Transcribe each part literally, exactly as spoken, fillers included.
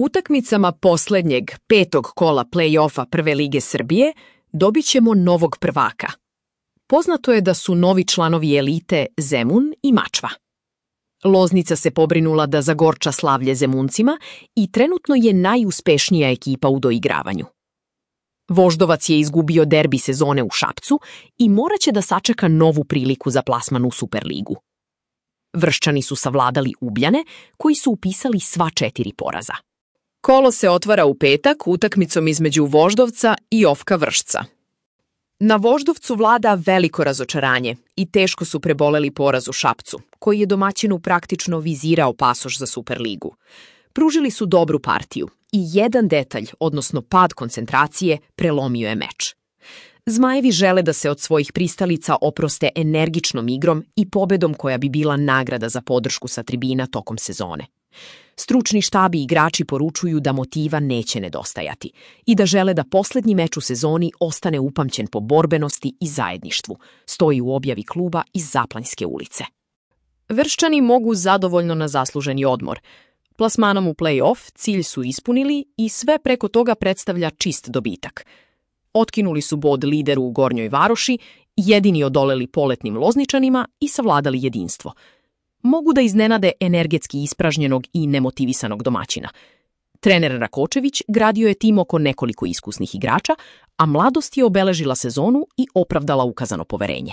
Utakmicama poslednjeg petog kola play-offa Prve lige Srbije dobit ćemo novog prvaka. Poznato je da su novi članovi elite Zemun i Mačva. Loznica se pobrinula da zagorča slavlje Zemuncima i trenutno je najuspešnija ekipa u doigravanju. Voždovac je izgubio derbi sezone u Šapcu i moraće da sačeka novu priliku za plasman u Superligu. Vrščani su savladali Ubljane, koji su upisali sva četiri poraza. Kolo se otvara u petak utakmicom između Voždovca i Ofka Vršca. Na Voždovcu vlada veliko razočaranje i teško su preboleli poraz u Šapcu, koji je domaćinu praktično vizirao pasoš za Superligu. Pružili su dobru partiju i jedan detalj, odnosno pad koncentracije, prelomio je meč. Zmajevi žele da se od svojih pristalica oproste energičnom igrom i pobedom koja bi bila nagrada za podršku sa tribina tokom sezone. Stručni štabi i igrači poručuju da motiva neće nedostajati i da žele da poslednji meč u sezoni ostane upamćen po borbenosti i zajedništvu, stoji u objavi kluba iz Zaplanjske ulice. Vrščani mogu zadovoljno na zasluženi odmor. Plasmanom u play-off cilj su ispunili i sve preko toga predstavlja čist dobitak. Otkinuli su bod lideru u Gornjoj Varoši, jedini odoleli poletnim Lozničanima i savladali jedinstvo. Mogu da iznenade energetski ispražnjenog i nemotivisanog domaćina. Trener Rakočević gradio je tim oko nekoliko iskusnih igrača, a mladost je obeležila sezonu i opravdala ukazano poverenje.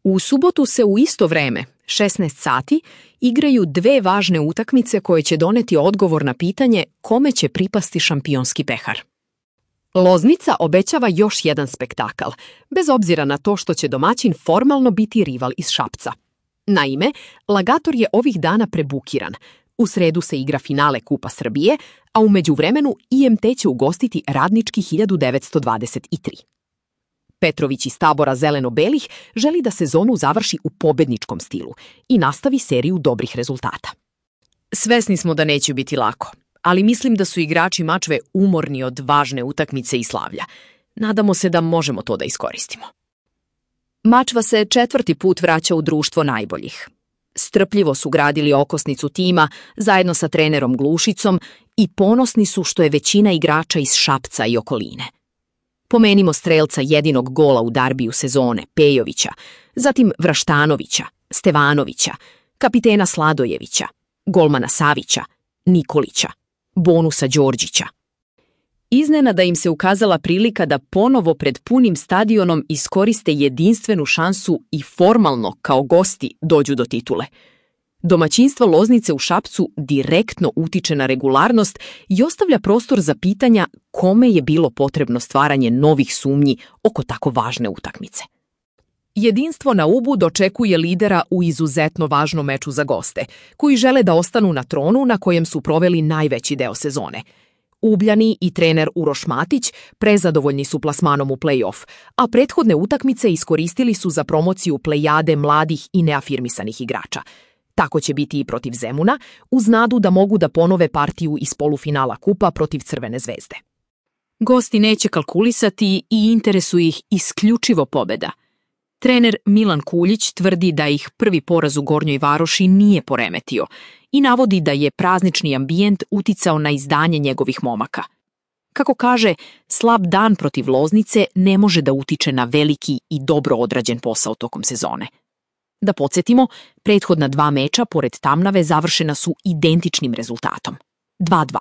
U subotu se u isto vreme, šesnaest sati, igraju dve važne utakmice koje će doneti odgovor na pitanje kome će pripasti šampionski pehar. Loznica obećava još jedan spektakl, bez obzira na to što će domaćin formalno biti rival iz Šapca. Naime, Lagator je ovih dana prebukiran. U sredu se igra finale Kupa Srbije, a u međuvremenu I M T će ugostiti Radnički hiljadu devetsto dvadeset tri. Petrović iz tabora zeleno-belih želi da sezonu završi u pobedničkom stilu i nastavi seriju dobrih rezultata. Svesni smo da neće biti lako, ali mislim da su igrači Mačve umorni od važne utakmice i slavlja. Nadamo se da možemo to da iskoristimo. Mačva se četvrti put vraća u društvo najboljih. Strpljivo su gradili okosnicu tima zajedno sa trenerom Glušicom i ponosni su što je većina igrača iz Šapca i okoline. Pomenimo strelca jedinog gola u darbiju sezone, Pejovića, zatim Vraštanovića, Stevanovića, kapitena Sladojevića, golmana Savića, Nikolića, Bonusa Đorđića. Iznenada im se ukazala prilika da ponovo pred punim stadionom iskoriste jedinstvenu šansu i formalno, kao gosti, dođu do titule. Domaćinstvo Loznice u Šapcu direktno utiče na regularnost i ostavlja prostor za pitanja kome je bilo potrebno stvaranje novih sumnji oko tako važne utakmice. Jedinstvo na Ubu dočekuje lidera u izuzetno važnom meču za goste, koji žele da ostanu na tronu na kojem su proveli najveći deo sezone. Ubljani i trener Uroš Matić prezadovoljni su plasmanom u play-off, a prethodne utakmice iskoristili su za promociju plejade mladih i neafirmisanih igrača. Tako će biti i protiv Zemuna, uz nadu da mogu da ponove partiju iz polufinala kupa protiv Crvene zvezde. Gosti neće kalkulisati i interesuje ih isključivo pobeda. Trener Milan Kuljić tvrdi da ih prvi poraz u Gornjoj Varoši nije poremetio i navodi da je praznični ambijent uticao na izdanje njegovih momaka. Kako kaže, slab dan protiv Loznice ne može da utiče na veliki i dobro odrađen posao tokom sezone. Da podsjetimo, prethodna dva meča pored Tamnave završena su identičnim rezultatom. dva dva.